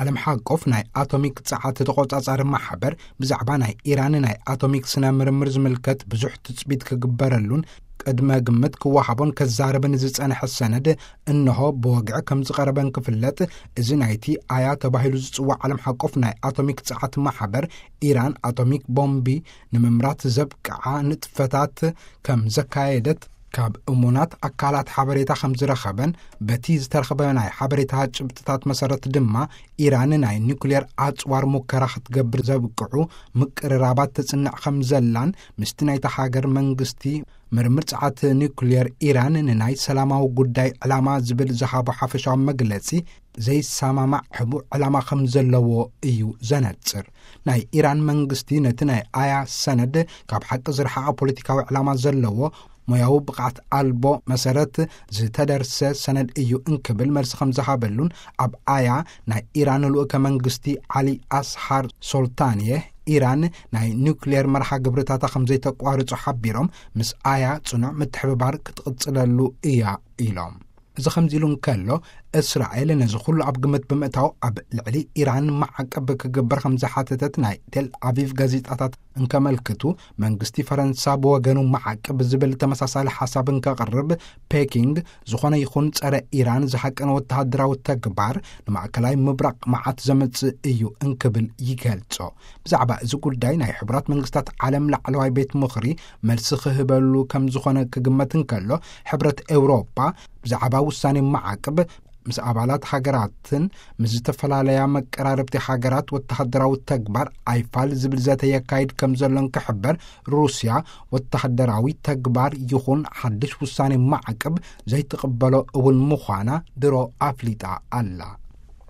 ዓለም ሓቆፍ ናይ ኣቶሚክ ጸዓት ተቖጻጻሪ ማሕበር ብዛዕባ ናይ ኢራን ናይ ኣቶሚክ ስነ ምርምር ዝምልከት ብዙሕ ትጽቢት ክግበረሉን ቅድመ ግምት ክወሃቦን ከዛረብን ዝጸንሐ ሰነድ እንሆ ብወግዒ ከም ዝቐረበን ክፍለጥ፣ እዚ ናይቲ ኣያ ተባሂሉ ዝጽዋዕ ዓለም ሓቆፍ ናይ ኣቶሚክ ጸዓት ማሕበር፣ ኢራን ኣቶሚክ ቦምቢ ንምምራት ዘብቅዓ ንጥፈታት ከም ዘካየደት ካብ እሙናት ኣካላት ሓበሬታ ከም ዝረኸበን፣ በቲ ዝተረኸበ ናይ ሓበሬታ ጭብጥታት መሰረት ድማ ኢራን ናይ ኒኩሌር ኣጽዋር ሙከራ ክትገብር ዘብቅዑ ምቅርራባት ተጽንዕ ከም ዘላን፣ ምስቲ ናይታ ሃገር መንግስቲ ምርምር ጸዓት ኒኩሌር ኢራን ንናይ ሰላማዊ ጉዳይ ዕላማ ዝብል ዝሃቦ ሓፈሻዊ መግለጺ ዘይሰማማዕ ሕቡእ ዕላማ ከም ዘለዎ እዩ ዘነጽር። ናይ ኢራን መንግስቲ ነቲ ናይ ኣያ ሰነድ ካብ ሓቂ ዝረሓቐ ፖለቲካዊ ዕላማ ዘለዎ ሞያዊ ብቕዓት ኣልቦ መሰረት ዝተደርሰ ሰነድ እዩ እንክብል መልሲ ከም ዝሃበሉን፣ ኣብ ኣያ ናይ ኢራን ልኡከ መንግስቲ ዓሊ ኣስሃር ሶልታንየ፣ ኢራን ናይ ኒውክሌር መርሃ ግብርታታ ከም ዘይተቋርጾ ሓቢሮም፣ ምስ ኣያ ጽኑዕ ምትሕብባር ክትቕጽለሉ እያ ኢሎም። እዚ ከምዚ ኢሉ እንከሎ፣ እስራኤል ነዚ ኩሉ ኣብ ግምት ብምእታው ኣብ ልዕሊ ኢራን ማዕቀብ ክግበር ከም ዝሓተተት ናይ ቴል ኣቪቭ ጋዜጣታት እንከመልክቱ፣ መንግስቲ ፈረንሳ ብወገኑ ማዕቀብ ዝብል ተመሳሳሊ ሓሳብ እንከቕርብ፣ ፔኪንግ ዝኾነ ይኹን ጸረ ኢራን ዝሃቀነ ወተሃደራዊ ተግባር ንማእከላይ ምብራቕ መዓት ዘምጽእ እዩ እንክብል ይገልጾ። ብዛዕባ እዚ ጉዳይ ናይ ሕቡራት መንግስታት ዓለም ላዕለዋይ ቤት ምኽሪ መልሲ ክህበሉ ከም ዝኾነ ክግመት እንከሎ፣ ሕብረት ኤውሮጳ ብዛዕባ ውሳኔ ማዕቅብ ምስ ኣባላት ሃገራትን ምስ ዝተፈላለያ መቀራረብቲ ሃገራት ወተሃደራዊ ተግባር ኣይፋል ዝብል ዘተ የካይድ ከም ዘሎን ክሕበር፣ ሩስያ ወተሃደራዊ ተግባር ይኹን ሓድሽ ውሳኔ ማዕቅብ ዘይትቕበሎ እውን ምዃና ድሮ ኣፍሊጣ ኣላ።